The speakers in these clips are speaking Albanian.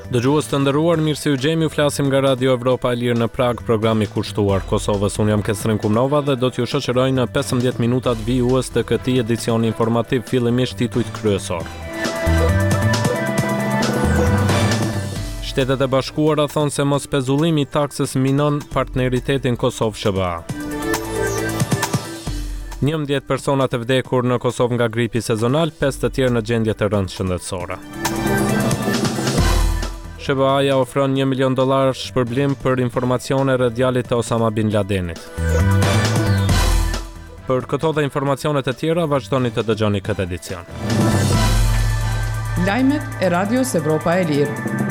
Dëgjues të nderuar, mirë se ju gjejmë, ju flasim nga Radio Evropa e Lirë në Pragë, programi kushtuar Kosovës. Unë jam Kesrin Kumnova dhe do t'ju shoqëroj në 15 minutat vijues të këtij edicioni informativ, fillimisht titujt kryesorë. Shtetet e Bashkuara thonë se mospezullimi i taksës minon partneritetin Kosovë-SHBA. 11 persona të vdekur në Kosovë nga gripi sezonal, 5 të tjerë në gjendje të rëndë shëndetësore. SHBA-ja ofron 1 milion dollar shpërblim për informacione rreth djalit të Osama Bin Ladenit. Për këto dhe informacione të tjera vazhdoni të dëgjoni këtë edicion. Lajmet e Radios Evropa e Lirë.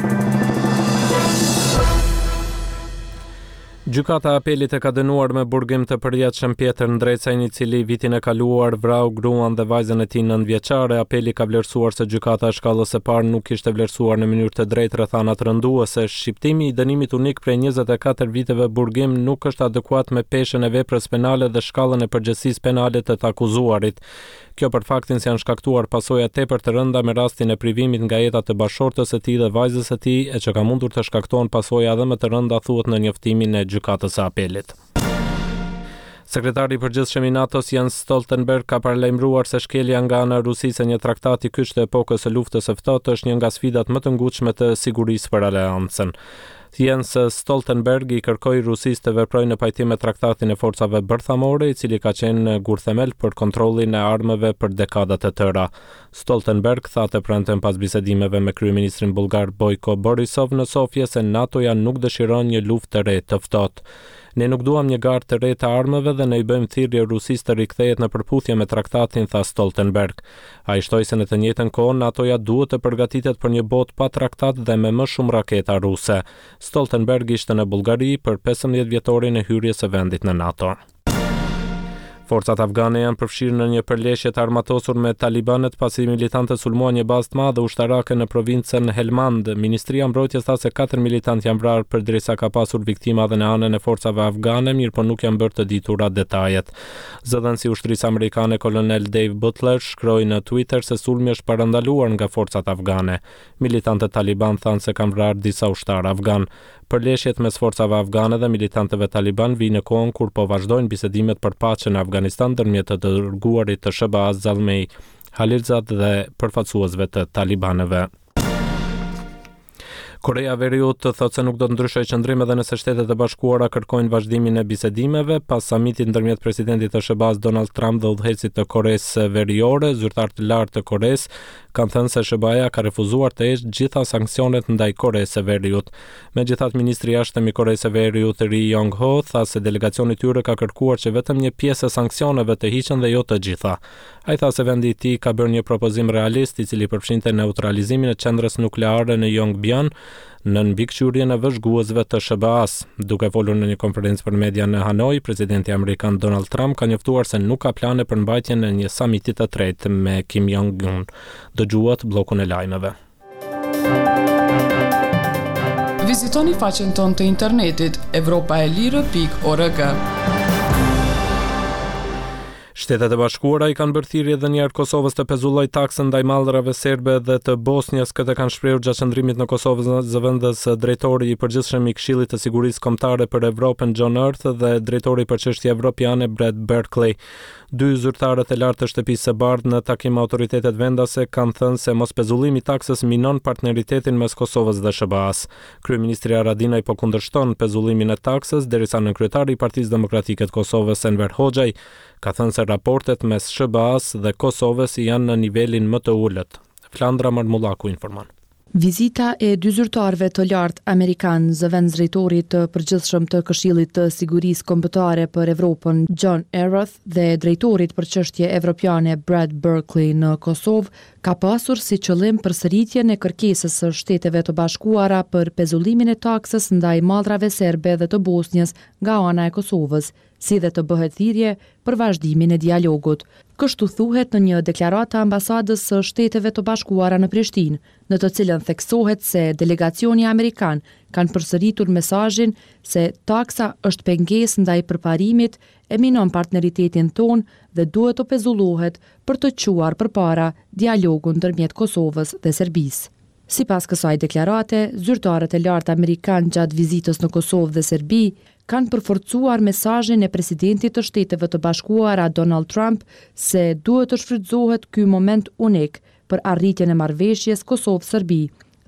Gjykata e Apelit e ka dënuar me burgim të përjetshëm Pjetër Ndrecajn, i cili vitin e kaluar vrau gruan dhe vajzën e tij nëntëvjeçare. Apeli ka vlerësuar se gjykata e shkallës së parë nuk kishte vlerësuar në mënyrë të drejtë rrethanat rënduese. Shqiptimi i dënimit unik prej 24 viteve burgim nuk është adekuat me peshën e veprës penale dhe shkallën e përgjegjësisë penale të të akuzuarit. Kjo për faktin se janë shkaktuar pasoja tepër të rënda me rastin e privimit nga jeta të bashkëshortes së tij dhe vajzës së tij, e që ka mundur të shkaktohen pasoja edhe më të rënda, thuhet në njoftimin e Gjykatës së Apelit. Sekretari i Përgjithshëm i NATO-s Jens Stoltenberg ka paralajmëruar se shkelja nga ana e Rusisë e një traktati kyç të epokës së Luftës së Ftohtë është një nga sfidat më të ngutshme të sigurisë për aleancën. Jens Stoltenberg i kërkoi Rusisë të veprojë në pajtim me Traktatin e Forcave Bërthamore, i cili ka qenë gurthemel për kontrollin e armëve për dekada të tëra. Stoltenberg tha të premten pas bisedimeve me kryeministrin bullgar Bojko Borisov në Sofje se NATO-ja nuk dëshiron një luftë të re të ftohtë. Ne nuk duam një garë të re të armëve dhe ne i bëjmë thirrje Rusisë të rikthehet në përputhje me traktatin, tha Stoltenberg. Ai shtoi se në të njëjtën kohë NATO-ja duhet të përgatitet për një botë pa traktat dhe me më shumë raketa ruse. Stoltenberg ishte në Bullgari për 15 vjetorin e hyrjes së vendit në NATO. Forcat afgane janë përfshirë në një përleshje të armatosur me talibanët pasi militantët sulmuan një bazë të madhe ushtarake në provincën Helmand. Ministria e Mbrojtjes tha se katër militantë janë vrarë përderisa ka pasur viktima edhe në anën e forcave afgane, mirëpo nuk janë bërë të ditura detajet. Zëdhënësi i ushtrisë amerikane kolonel Dave Butler shkroi në Twitter se sulmi është parandaluar nga forcat afgane. Militantët talibanë thanë se kanë vrarë disa ushtarë afganë. Përleshjet mes forcave afgane dhe militantëve talibanë vijnë në kohën kur po vazhdojnë bisedimet për paqe në Afganistan ndërmjet të dërguarit të SHBA-së Zalmay Khalilzad dhe përfaqësuesve të talibanëve. Koreja e Veriut thotë se nuk do të ndryshojë qëndrim edhe nëse Shtetet e Bashkuara kërkojnë vazhdimin e bisedimeve pas samitit ndërmjet presidentit të SHBA-së Donald Trump dhe udhëheqësit të Koresë Veriore. Zyrtarë të lartë të Koresë kanë thënë se SHBA-ja ka refuzuar të heqë gjitha sanksionet ndaj Koresë së Veriut. Megjithatë, ministri i Jashtëm i Koresë së Veriut Ri Yong Ho tha se delegacioni i tyre ka kërkuar që vetëm një pjesë e sanksioneve të hiqen dhe jo të gjitha. Ai tha se vendi i tij ka bërë një propozim realist, i cili përfshinte neutralizimin e qendrës nukleare në Yongbyon, nën mbikëqyrjen e vëzhguesve të SHBA-së. Duke folur në një konferencë për media në Hanoi, presidenti amerikan Donald Trump ka njoftuar se nuk ka plane për mbajtjen e një samiti të tretë me Kim Jong-un. Dëgjuat bllokun e lajmeve. Vizitoni faqen tonë të internetit evropaelire.org. Shtetet e Bashkuara i kanë bërë thirrje edhe një herë Kosovës të pezullojë taksën ndaj mallrave serbe dhe të Bosnjës. Këtë kanë shprehur gjatë qëndrimit në Kosovë zëvendës drejtori i përgjithshëm i Këshillit të Sigurisë Kombëtare për Evropën John Earth dhe drejtori për çështje evropiane Brad Berkeley. Dy zyrtarët e lartë të Shtëpisë së Bardhë në takim me autoritetet vendase kanë thënë se mospezullimi i taksës minon partneritetin mes Kosovës dhe SHBA-së. Kryeministri Haradinaj po kundërshton pezullimin e taksës, derisa nënkryetari i Partisë Demokratike të Kosovës, Enver Hoxhaj, ka thënë se raportet mes SHBA-së dhe Kosovës janë në nivelin më të ulët. Flandra Marmullaku informon. Vizita e dy zyrtarëve të lartë amerikanë, zëvendësdrejtorit të përgjithshëm të Këshillit të Sigurisë Kombëtare për Evropën, John Earth dhe drejtorit për çështje evropiane Brad Berkeley në Kosovë, ka pasur si qëllim përsëritjen e kërkesës së Shteteve të Bashkuara për pezullimin e taksës ndaj mallrave serbe dhe të Bosnjës nga ana e Kosovës. si dhe të bëhet thirrje për vazhdimin e dialogut. Kështu thuhet në një deklaratë të Ambasadës së Shteteve të Bashkuara në Prishtinë, në të cilën theksohet se delegacioni amerikan kanë përsëritur mesazhin se taksa është pengesë ndaj përparimit e minon partneritetin tonë dhe duhet të pezullohet për të çuar përpara dialogun ndërmjet Kosovës dhe Serbisë. Sipas kësaj deklarate, zyrtarët e lartë amerikanë gjatë vizitës në Kosovë dhe Serbi kanë përforcuar mesazhin e presidentit të Shteteve të Bashkuara Donald Trump se duhet të shfrytëzohet ky moment unik për arritjen e marrëveshjes Kosovë-Serbi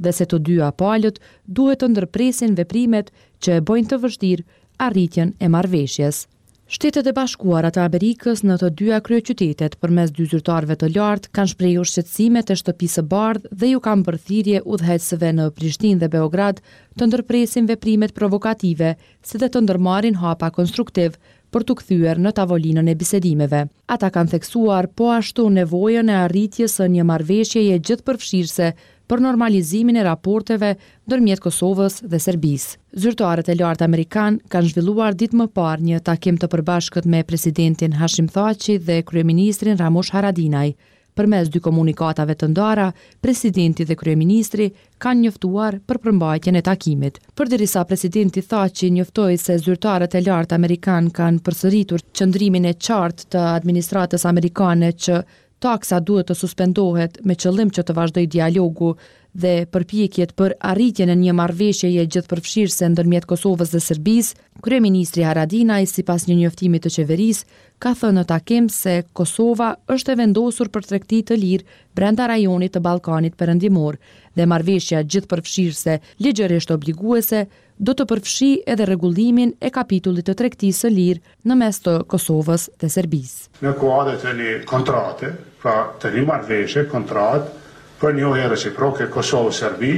dhe se të dyja palët duhet të ndërpresin veprimet që e bëjnë të vështirë arritjen e marrëveshjes. Shtetet e Bashkuara të Amerikës në të dyja kryeqytetet përmes dy zyrtarëve të lartë kanë shprehur shqetësimet e Shtëpisë së Bardhë dhe ju kanë bërë thirrje udhëheqësve në Prishtinë dhe Beograd të ndërpresin veprimet provokative si dhe të ndërmarrin hapa konstruktivë për t'u kthyer në tavolinën e bisedimeve. Ata kanë theksuar po ashtu nevojën e arritjes së një marrëveshjeje gjithëpërfshirëse për normalizimin e raporteve ndërmjet Kosovës dhe Serbisë. Zyrtarët e lartë amerikanë kanë zhvilluar ditë më parë një takim të përbashkët me presidentin Hashim Thaçi dhe kryeministrin Ramush Haradinaj. Përmes dy komunikatave të ndara, presidenti dhe kryeministri kanë njoftuar për përmbajtjen e takimit. Përderisa presidenti Thaçi njoftoi se zyrtarët e lartë amerikanë kanë përsëritur qëndrimin e qartë të administratës amerikane që Taksa duhet të suspendohet me qëllim që të vazhdojë dialogu dhe përpjekjet për arritjen e një marrëveshjeje gjithëpërfshirëse ndërmjet Kosovës dhe Serbisë, kryeministri Haradinaj, sipas një njoftimi të qeverisë, ka thënë në takim se Kosova është e vendosur për tregti të lirë brenda rajonit të Ballkanit Perëndimor dhe marrëveshja gjithëpërfshirëse ligjërisht obliguese do të përfshijë edhe rregullimin e kapitullit të tregtisë së lirë në mes të Kosovës dhe Serbisë. Në kuadër të një kontrate, pra të një marrëveshje, kontratë, për njohje reciproke Kosovë-Serbi,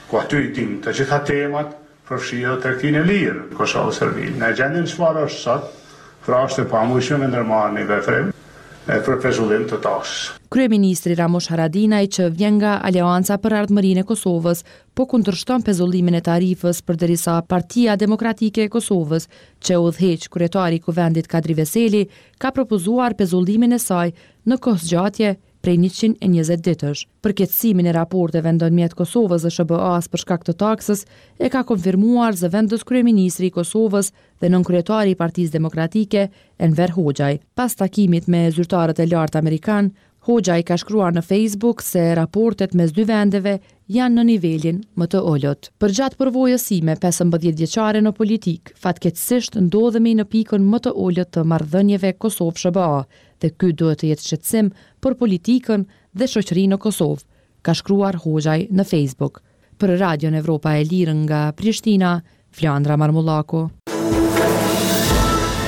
ku aty i dimë të gjitha temat, përfshi edhe tregtinë e lirë Kosovë-Serbi. Në gjendjen çfarë është sot, pra është e pamundshme me ndërmarrë një veprim për pezullim të taksës. Kryeministri Ramush Haradinaj që vjen nga Aleanca për Ardhmërinë e Kosovës po kundërshton pezullimin e tarifës përderisa Partia Demokratike e Kosovës, që e udhëheq kryetari i Kuvendit Kadri Veseli, ka propozuar pezullimin e saj në kohëzgjatje prej 120 ditësh. Përkeqësimin e raporteve ndërmjet Kosovës dhe SHBA-së për shkak të taksës e ka konfirmuar zëvendëskryeministri i Kosovës dhe nënkryetari i Partisë Demokratike, Enver Hoxhaj. Pas takimit me zyrtarët e lartë amerikanë, Hoxhaj ka shkruar në Facebook se raportet mes dy vendeve janë në nivelin më të ulët. Përgjatë përvojës sime 15 vjeçare në politikë, fatkeqësisht ndodhemi në pikën më të ulët të marrëdhënieve Kosovë-SHBA dhe ky duhet të jetë shqetësim për politikën dhe shoqërinë në Kosovë, ka shkruar Hoxhaj në Facebook. Për Radion Evropa e Lirë nga Prishtina, Flandra Marmullaku.